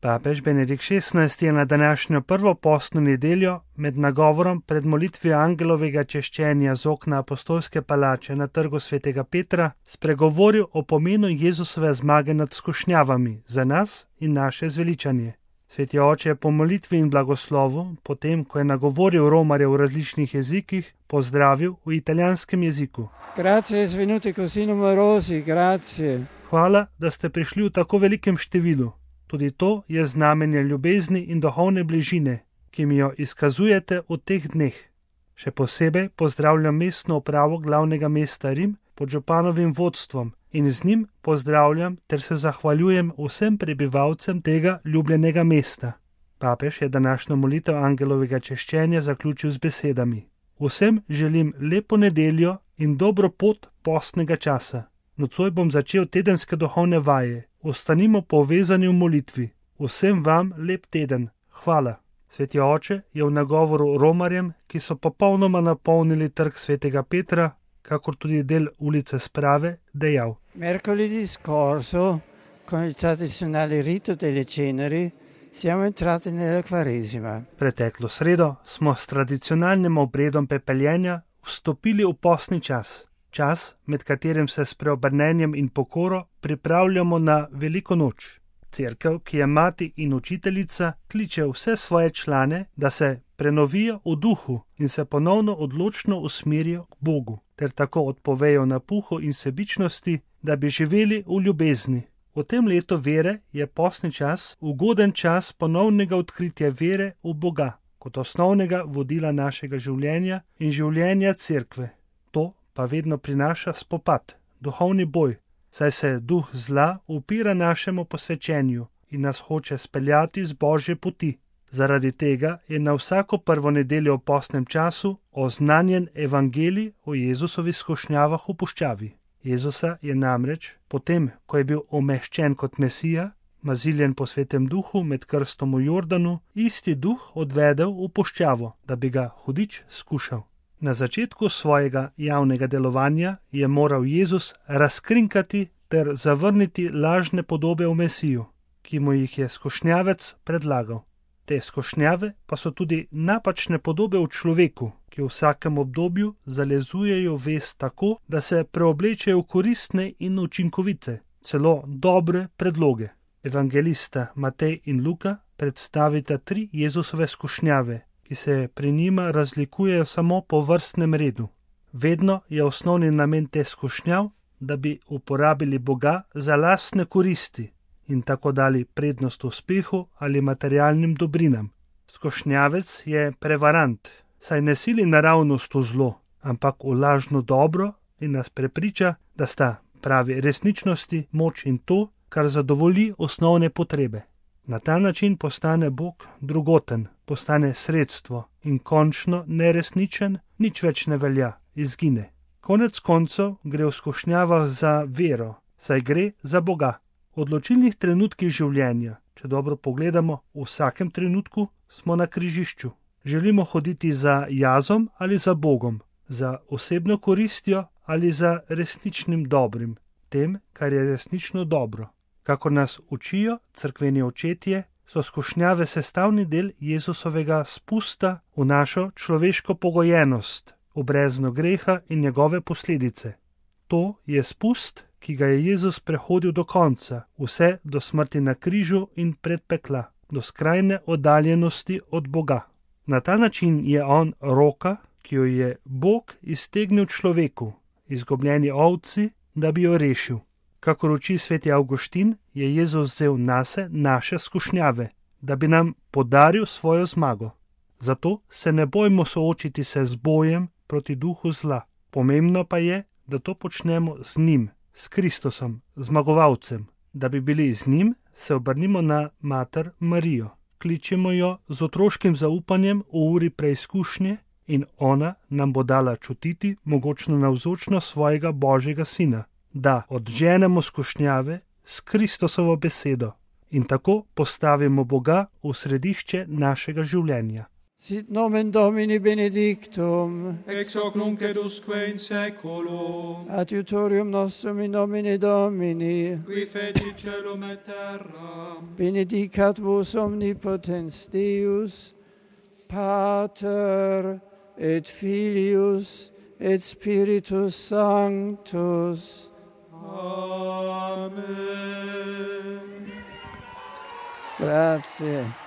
Papež Benedikt XVI je na današnjo prvo postno nedeljo med nagovorom pred molitvijo angelovega češčenja z okna apostolske palače na trgu svetega Petra spregovoril o pomenu Jezusove zmage nad skušnjavami za nas in naše zveličanje. Sveti oče je po molitvi in blagoslovu, potem ko je nagovoril romarje v različnih jezikih, pozdravil v italijanskem jeziku. Grazie, svenuti così numerosi, grazie. Hvala, da ste prišli v tako velikem številu. Tudi to je znamenje ljubezni in duhovne bližine, ki mi jo izkazujete v teh dneh. Še posebej pozdravljam mestno upravo glavnega mesta Rim pod županovim vodstvom in z njim pozdravljam ter se zahvaljujem vsem prebivalcem tega ljubljenega mesta. Papež je današnjo molitev angelovega češčenja zaključil z besedami. Vsem želim lepo nedeljo in dobro pot postnega časa. Nocoj bom začel tedenske duhovne vaje. Ostanimo povezani v molitvi. Vsem vam lep teden. Hvala. Sveti oče je v nagovoru romarjem, ki so popolnoma napolnili trg svetega Petra, kakor tudi del ulice Sprave, dejal. Mercoledì scorso, con il tradizionale rito delle ceneri, siamo entrati nella Quaresima. Preteklo sredo smo s tradicionalnim obredom pepeljenja vstopili v postni čas. Čas, med katerim se s preobrnenjem in pokoro pripravljamo na veliko noč. Cerkev, ki je mati in učiteljica, kliče vse svoje člane, da se prenovijo v duhu in se ponovno odločno usmerijo k Bogu, ter tako odpovejo napuhu in sebičnosti, da bi živeli v ljubezni. V tem letu vere je postni čas ugoden čas ponovnega odkritja vere v Boga, kot osnovnega vodila našega življenja in življenja cerkve. To pa vedno prinaša spopad, duhovni boj, saj se duh zla upira našemu posvečenju in nas hoče speljati z Božje poti. Zaradi tega je na vsako prvo nedeljo v postnem času oznanjen evangelij o Jezusovih skušnjavah v puščavi. Jezusa je namreč, potem ko je bil umeščen kot Mesija, maziljen po svetem duhu med krstom v Jordanu, isti duh odvedel v puščavo, da bi ga hudič skušal. Na začetku svojega javnega delovanja je moral Jezus razkrinkati ter zavrniti lažne podobe v Mesiju, ki mu jih je skušnjavec predlagal. Te skušnjave pa so tudi napačne podobe v človeku, ki v vsakem obdobju zalezujejo vest tako, da se preoblečejo v koristne in učinkovite, celo dobre predloge. Evangelista Matej in Luka predstavita 3 Jezusove skušnjave, ki se pri njima razlikujejo samo po vrstnem redu. Vedno je osnovni namen te skušnjav, da bi uporabili Boga za lastne koristi in tako dali prednost uspehu ali materialnim dobrinam. Skušnjavec je prevarant, saj ne sili naravnost v zlo, ampak v lažno dobro in nas prepriča, da sta pravi resničnosti moč in to, kar zadovolji osnovne potrebe. Na ta način postane Bog drugoten, postane sredstvo in končno neresničen, nič več ne velja, izgine. Konec koncev gre v skušnjavah za vero, saj gre za Boga. V odločilnih trenutkih življenja, če dobro pogledamo, v vsakem trenutku smo na križišču. Želimo hoditi za jazom ali za Bogom, za osebno koristjo ali za resničnim dobrim, tem, kar je resnično dobro. Kakor nas učijo cerkveni očetje, so skušnjave sestavni del Jezusovega spusta v našo človeško pogojenost, v brezno greha in njegove posledice. To je spust, ki ga je Jezus prehodil do konca, vse do smrti na križu in pred pekla, do skrajne oddaljenosti od Boga. Na ta način je on roka, ki jo je Bog iztegnil človeku, izgubljeni ovci, da bi jo rešil. Kakor uči sveti Avguštin, je Jezus vzel nase naše skušnjave, da bi nam podaril svojo zmago. Zato se ne bojmo soočiti se z bojem proti duhu zla. Pomembno pa je, da to počnemo z njim, s Kristusom, zmagovalcem. Da bi bili z njim, se obrnimo na mater Marijo. Kličemo jo z otroškim zaupanjem v uri preizkušnje in ona nam bo dala čutiti mogočno navzočnost svojega Božjega Sina, da odženemo skušnjave s Kristusovo besedo in tako postavimo Boga v središče našega življenja. Sit nomen Domini benedictum, ex hoc nunc et usque in saeculum, adiutorium nostrum in nomine Domini, qui feci celum et terram, benedicat vos omnipotens Deus, Pater et Filius et Spiritus Sanctus. Amen. Grazie.